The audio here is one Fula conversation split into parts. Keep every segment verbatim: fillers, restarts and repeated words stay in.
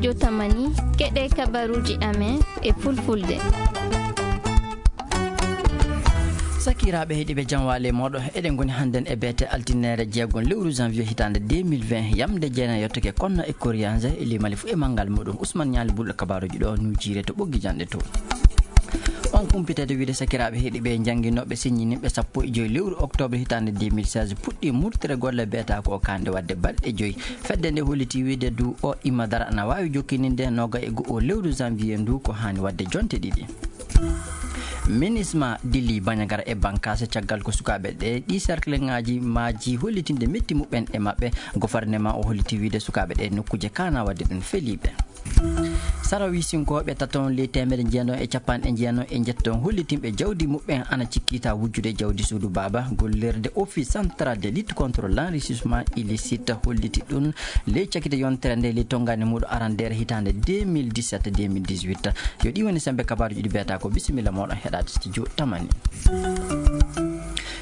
Jotamani, keɗe kabaruuji amen e fulfulde. Sakiraaɓe heɗiiɓe, jam waale mooɗo. Eɗen ngoni hannden e beete altine jeegon lewru janvier hitaande deux mille vingt, yamde jeenayi yottake konno e koriyanze e limali fu e manngal muɗum. Usman Ñaali Bulɗo kabaaruuji ɗo nuujiire to ɓoggi janɗe to. On kumpitede wiide sakiraaɓe heɗiiɓe, jannginooɓe siññininɓe sappo e joyi lewru octobre hitaande deux mille seize puɗɗi murtere golle beeta ko kande wadde balɗe joyi. Fedde nde holliti wiide du o imma dara ana waawi jokkininde noga e go'o lewru janvier ndu ko haani wadde jonte ɗiɗi. Minisma dilli Bandiagara e Bankaase caggal ko sukaaɓe ɗe ɗi cercle ŋaaji maaji hollitinde metti muɓɓen e maɓɓe. Gofarnema o holliti wiide sukaaɓe ɗe nokkuuje kana wadde ɗum feliiɓe. Sarawi sinkooɓe taton ley teemedde jeenayi e capanɗe jeenayi e njetton hollitinɓe jawdi muɓɓen ana cikkita wujjude jawdi suudu baaba. Gollirde Office Central de Lutte contre l'Enrichissement Illicite holliti ɗum ley cakite yontere nde ley tonngani muɗo arandeere hitaande deux mille dix-sept deux mille dix-huit. Yo ɗi woni sembe kabaaruji ɗi beeta ko. Bisimilla moɗon heɗaade studio tamani.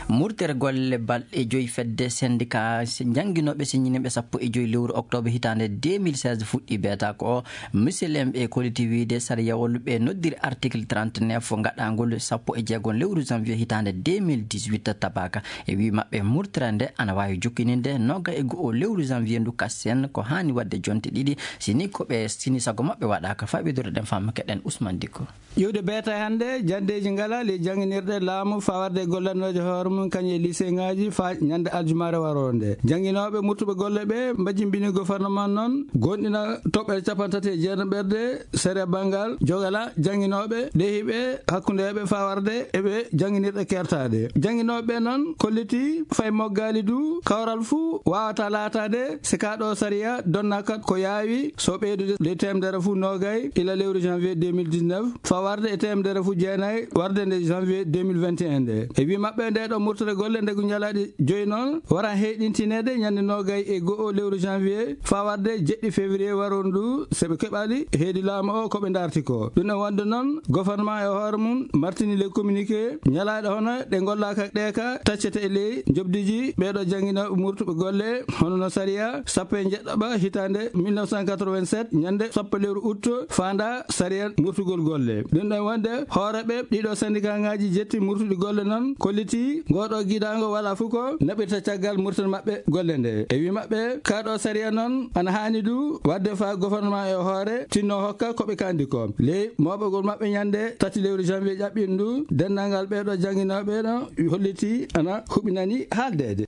Murtere golle balɗe joyi fedde syndicat jannginooɓe siññininɓe sappo e joyi lewru octobre hitaande deux mille seize fuɗɗi beeta ko. Misilem ɓe kolliti wiide sariyawol ɓe noddiri article trente-neuf gaɗangol sappo e jeegon lewru janvier hitaande deux mille dix-huit tabaka. E wi maɓɓe murtere nde ana waawi jokkininde noga e go'o lewru janvier ndu kasen ko haani wadde jonte ɗiɗi. Sini ko ɓe sini sago maɓɓe waɗaka. Faɓidore ɗen famma keɗen Usman Dikko. Ƴiwde beeta hannde, janndeeji ngala ley jannginirɗe laamu fawarde e gollanooje hoore mum kañum e lycée ŋaaji faa ñande aljumaare waroo nde. Jannginooɓe murtuɓe golle ɓe mbajjimbini gouvernement noon, gonɗina toɓɓere capanɗe tati e jeenaɓerde sere banngal jogala jannginooɓe, ɗehiiɓe, hakkundeeɓe fawarde e ɓe jannginirɗe kertaaɗe. Jannginooɓe ɓe noon kolliti fay moggaali du, kawral fuu waawata laataade si kaa ɗo sariya donnaaka ko yaawi so ɓeydude ley teemedere fuu noogay ila lewru janvier deux mille dix-neuf, fawarde e teemedere fuu jeenayi warde nde janvier deux mille vingt et un nde. E wi maɓɓe, nde ɗo murtere golle ndegu ñalaaɗi joyi noon wara heyɗintineede ñande noogay e go'o lewru janvier fawarde jeɗɗi février waroon ndu, so ɓe keɓali heedi laamu o ko ɓe ndarti ko. Ɗum ɗon wonde noon, gouvernement e hoore mum martini le communiqué, ñalaaɗe hono ɗe ngollaaka ɗe ka taccete e ley njoɓdiji ɓeeɗo jannginooɓe murtuɓe golle, hono no sariya sappo e jeɗɗaɓa hitaande mille neuf cent quatre-vingt-sept, ñande sappo lewru août, faanda sariya murtugol golle. Ɗum ɗon wonde, hooreeɓe ɗiɗo syndicat ŋaaji jetti murtuɗi golle noon, kolliti ngoo ɗo gidaango wala fof ko naɓirta caggal murtere maɓɓe golle nde. E wi maɓɓe, kaa ɗo sariya noon ana haani du waɗde faa gouvernement e hoore tinno hokka ko ɓe kandi ko. Ley mooɓagol maɓɓe ñande tati lewru janvier ƴaɓɓiiɗo ndu, denndaangal ɓeeɗo jannginooɓe no holliti ana huɓinani haaldeede.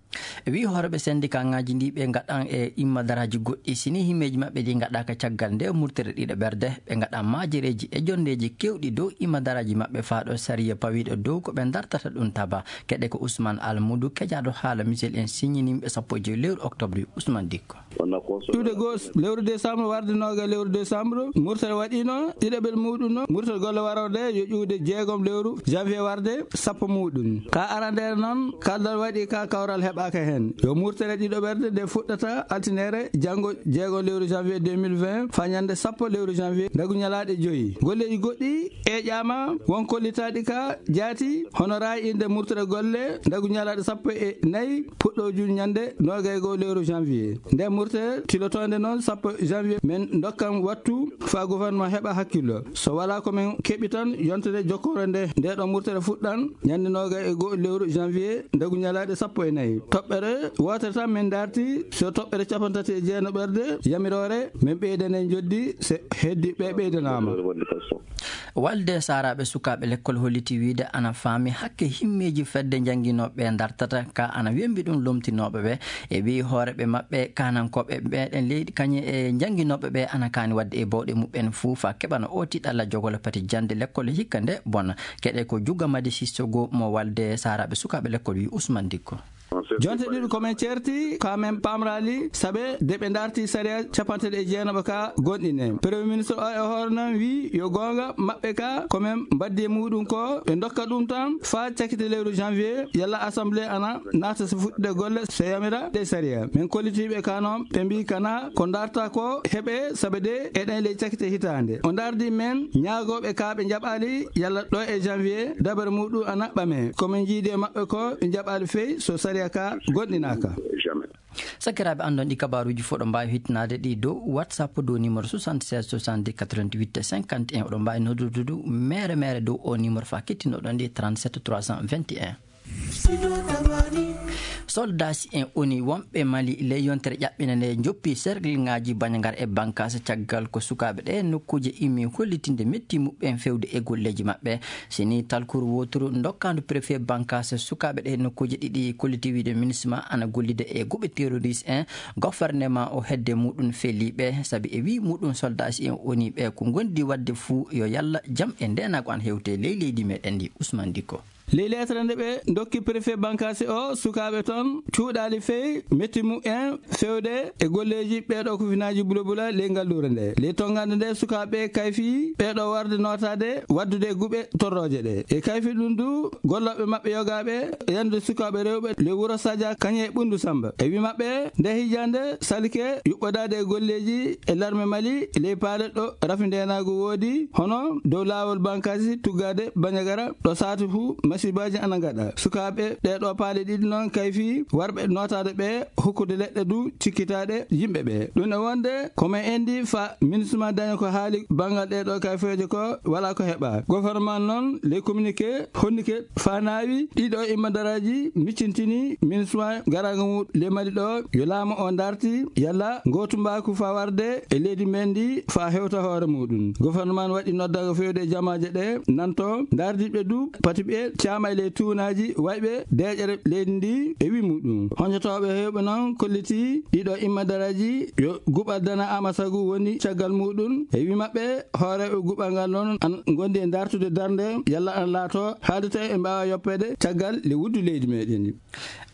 Wi hooreeɓe syndicat ŋaaji ndi ɓe ngaɗan e imma daraaji goɗɗi, sini himmeeji maɓɓe ɗi ngaɗaaka caggal nde murtere ɗiɗo ɓerde, ɓe ngaɗan maajereeji e jonndeeji keewɗi dow imma daraaji maɓɓe faa ɗo sariya pawiiɗo dow ko ɓe ndartata ɗum taba. Keɗe ko Ousmane Almudu, kejaaɗo haala Michel en siññininɓe sappo e joyi lewru octobre. Ousmane Dikko. Ƴuwde goo lewru décembre warde nooga lewru décembre, murtere waɗiino ɗiɗaɓel muɗum no murtere golle waroo nde yo ƴuwde jeegom lewru janvier warde sappo muɗum. Ka arandeere noon, kaldal waɗi ka kawral heɓaaka heen. Yo murtere ɗiɗo ɓerde nde fuɗɗata altinere janngo jeegom lewru janvier deux mille vingt faa ñande sappo lewru janvier ndagu ñalaaɗe joyi. Golleeji goɗɗi eeƴaama won kollitaaɗi ka jaati, hono raay innde murtere golle ndagu ñalaaɗe sappo e nayi puɗɗoojun ñande noogay goo lewru janvier. Nde murtere tilotoonde noon sappo janvier, men ndokkan wattu faa gouvernement heɓa hakkillo. So walaa ko men keɓi tan yontere jokkoore nde, nde ɗo murtere fuɗɗan ñande noogay e goo lewru janvier ndagu ñalaaɗe sappo e nayi. Toɓɓere wootere tan men ndarti, so toɓɓere capanɗe tati e jeenaɓerde yamiroore, men ɓeydane njoddi, so heddi ɓe ɓeydanaama. Walde saaraaɓe sukaaɓe lekkol holliti wiide ana faami hakke himmeeji fedde jannginooɓe ɓe ndartata ka ana wembi ɗum lomtinooɓe ɓe. E wi hooreeɓe maɓɓe, kaanankooɓe meɗen leydi kañe e jannginooɓe ɓe ana kaani waɗde e bawɗe muɓɓen fuu faa keɓana oo tiiɗalla jogolo pati jannde lekkol hikka nde bona. Keɗe ko Juga Madi Sissogo mo walde saaraaɓe sukaaɓe lekkol wi Ousmane Dikko. Jonte ɗiɗi ko men ceerti, ka men paamraali, sabe de ɓe ndarti sariya capanɗe tati e jeenaɓa ka gonɗine. Premier ministre o e hoore noon wi yo goonga maɓɓe ka ko men mbaddi e muɗum ko ɓe ndokka ɗum tan faa cakite lewru janvier, yalla assemblée ana naata so fuɗɗude golle so yamira ɗe sariya. Men kollitiiɓe ka noon ɓe mbi kana ko ndarta ko heɓe sabe de eɗen ley cakite hitaande. O ndardi men ñaagooɓe ka ɓe njaɓaali yalla ɗo e janvier dabere muɗum ana ɓame. Ko men jiidi e maɓɓe ko ɓe njaɓaali fey so sariya ka gonɗinaaka. Jamais. Sakiraaɓe, anndon ɗi kabaaruuji fof ɗo mbaawi hittinaade ɗi dow WhatsApp dow numéro soixante-seize soixante-dix quatre-vingt-huit cinquante et un. Oɗon mbaawi noddude du mere mere dow o numéro faa kettinooɗon ɗi, trente-sept trois cent vingt et un. Soldaaji en O N U wonɓe Mali ley yontere ƴaɓɓinde nde njoppi sergilŋaaji Bandiagara e Bankaase caggal ko sukaaɓe ɗe nokkuuje immi hollitinde metti muɓɓen fewde e golleeji maɓɓe. Si ni talkuru wooturu ndokkaandu préfet Bankaase, sukaaɓe ɗe nokkuuje ɗiɗi kolliti wiide MINUSMA ana gollida e guɓe terroriste en, gouvernement o hedde muɗum feliiɓe, sabi e wii muɗum soldaaji en O N U ɓe ko ngondi waɗde fuu yo yalla jam e ndeenaagu an hewte ley leydi meɗen ndi. Ousmane Dicko. Ley leetere nde ɓe ndokki préfet Bankaase o, sukaaɓe toon cuuɗaali fey metti muɓɓen fewde e golleeji ɓeeɗo kufinaaji bulabula ley ngalluure nde. Ley tonngande nde, sukaaɓe kayfi ɓeeɗo warde nootaade waddude e guɓe torrooje ɗe. E kayfi ɗum du, gollooɓe maɓɓe yogaaɓe yande sukaaɓe rewɓe ley wuro Sadia Kañe Ɓunndu Samba. E wi maɓɓe, nde hijande salike yuɓɓodaade e golleeji e larme Mali ley paale ɗo rafi ndeenaagu woodi, hono dow laawol Bankaasi tuggaade Bandiagara ɗo saati fuu masibaaji ana ngaɗa. Sukaaɓe ɗee ɗoo paale ɗiɗi noon kayfi warɓe nootaade ɓe hokkude leɗɗe du cikkitaaɗe yimɓe ɓe. Ɗum e wonde ko men enndi fa MINUSMA daña ko haali banngal ɗee ɗoo kayfeeje ko walaa ko heɓa. Gouvernement noon ley communiqué honnike fa naawi ɗiɗo immadaraaji miccintini MINUSMA garaanga mum ley Mali ɗo yo laamu o darti yalla ngootumbaaku fa warde e leydi men ndi fa hewta hoore muɗum. Gouvernement waɗi noddaango fewde e jamaaje ɗe nanto dardiiɓe du pati ɓe caama e ley tuunaaji wayɓe deeƴere leydi ndi e wi muɗum. Hoñotooɓe heewɓe noon kolliti ɗiɗo immadaraaji yo guɓal dana ama sagu woni caggal muɗum. E wi maɓɓe, hooreeɓe guɓal ngal noon an ngondi e dartude darnde yalla an laato haalde tawi e mbaawa yoppeede caggal le wuddu leydi meɗen ndi.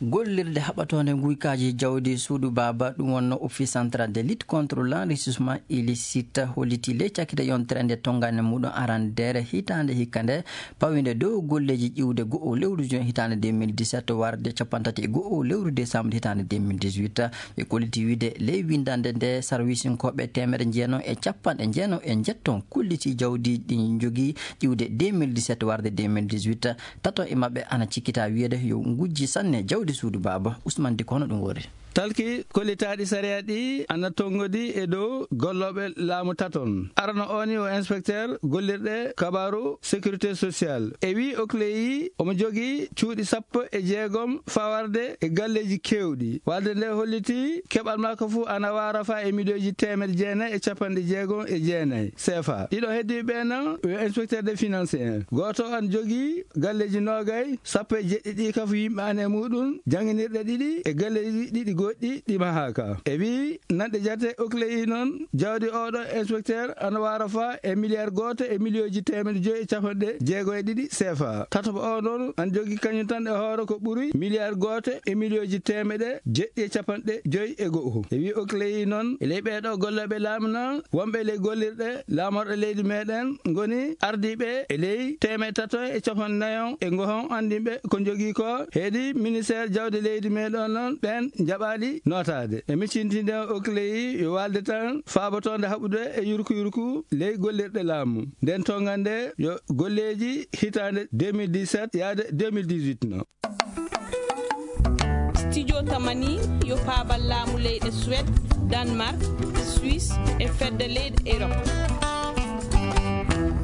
Gollirde haɓatoonde nguykaaji jawdi suudu baaba, ɗum wonno Office Central de Lutte contre l'Enrichissement Illicite, holliti ley cakkite yontere nde tonngande muɗum arandeere hitaande hikka nde, pawinde dow golleeji ƴiwde go'o lewru juin hitaande deux mille dix-sept warde cappanɗe tati e go'o lewru décembre hitaande deux mille dix-huit. Ɓe kolliti wiide ley winndannde nde, sarwisinkooɓe teemedde jeenayi e capanɗe jeenayi e njetton kulliti jawdi ɗi njogii ƴiwde deux mille dix-sept warde deux mille dix-huit. Tato e maɓɓe ana cikkita wiyeede yo ngujji sanne jawdi suudu baaba. Ousmane Dicko, hono ɗum wori? Talki kollitaaɗi sariya ɗi ana tonngodi e dow gollooɓe laamu taton. Arano o ni o inspecteur gollirɗe kabaaru sécurité sociale. E wi Okleyi omo jogii cuuɗi sappo e jeegom fawarde e galleeji keewɗi. Walde nde holliti keɓal makko fuu ana waara fa e miliyonji teemedde jeenayi e capanɗe jeegom e jeenayi C F A. Ɗiɗo heddiiɓe ɓe noon yo inspecteur de finance en. Gooto an jogii galleeji noogay, sappo e jeɗɗi ɗi kafu yimɓe an e muɗum, jannginirɗe ɗiɗi e galleeji ɗiɗi goɗɗi ɗi mahaaka. E wi nanɗe jate Okleyi noon, jawdi oɗo inspecteur ana waara fa e miliyar gooto e miliyonji teemedde joyi e capanɗe jeego e ɗiɗi C F A. Tataɓo o noon an jogii kañum tan e hoore ko ɓuri miliyar gooto e miliyonji teemedde jeɗɗi e capanɗe joyi e go'o. E wi Okleyi noon, e ley ɓeeɗo gollooɓe laamu noon, wonɓe ley gollirɗe laamorɗe leydi meɗen ngoni ardiiɓe e ley teemeɗɗe tato e capanɗe nayon e ngohon anndinɓe ko njogii ko. Heedi ministère jawdi leydi meɗen noon, ɓen njaɓaali nootaade. E miccintinde Okleyi yo walde tan faabotoonde haɓude e yurku yurku ley gollirɗe laamu. Nden tonngande yo golleeji hitaande deux mille dix-sept yaade deux mille dix-huit no. Studio Tamani yo paabal laamu leyɗe Suède, Danemark, Suisse e fedde leyɗe Europe.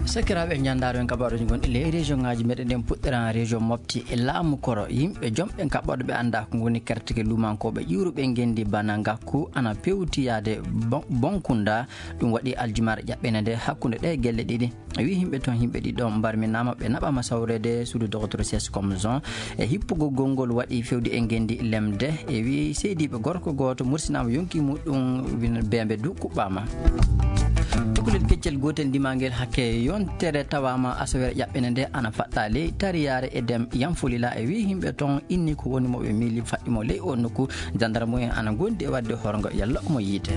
Sakiraaɓe, en njanndaaro en kabaaruuji gonɗi ley région ŋaaji meɗen ɗen, puɗɗiran région Mopti e laamu koro. Yimɓe jomɓe kaɓɓoɗo ɓe annda ko ngoni kerteke lumankooɓe ƴuuruɓe ngenndi bana ngakku ana pewti yaade Bon-, Bonkunda. Ɗum waɗi aljumaare ƴaɓɓene nde hakkunde ɗe gelle ɗiɗi. E wi yimɓe toon, yimɓe ɗiɗo mbarminaama, ɓe naɓaama sawreede suudu dogotoro C S comme zone. E hippugol gonngol waɗi fewde e ngenndi lemde. E wi seydiiɓe gorko gooto mursinaama yonki muɗum, win-, beembe du kuɓɓaama. Cukalel keccel gootel ndimaangel hakke yontere tawaama asawere ƴaɓɓene nde ana faɗɗa ley tariyaare e dem Yanfolila. E wi yimɓe toon inni ko woni mo ɓe miili faɗɗi mo ley o nokku. Jandarmu en ana ngondi e waɗde horgo yalla omo yiite.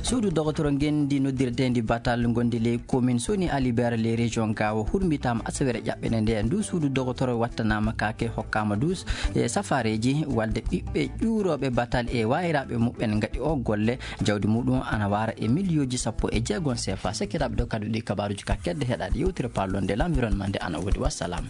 Suudu dogotoro ngenndi noddirteendi Batal ngondi ley commune Soni Alibert ley région Gaawo hurmbitaama asawere ƴaɓɓene nde. Ndu suudu dogotoro wattanaama kaake, hokkaama dus e safareeji walde ɓiɓɓe ƴuurooɓe Batal e waayiraaɓe muɓɓen ngaɗi o golle. Jawdi muɗum ana waara e miliyooji sappo e jeegom C F A. Sekiraaɓe, ɗo kadi ɗi kabaaruuji ka kedde heɗaade yewtere paalonde l'environnement nde ana woodi. Wassalam.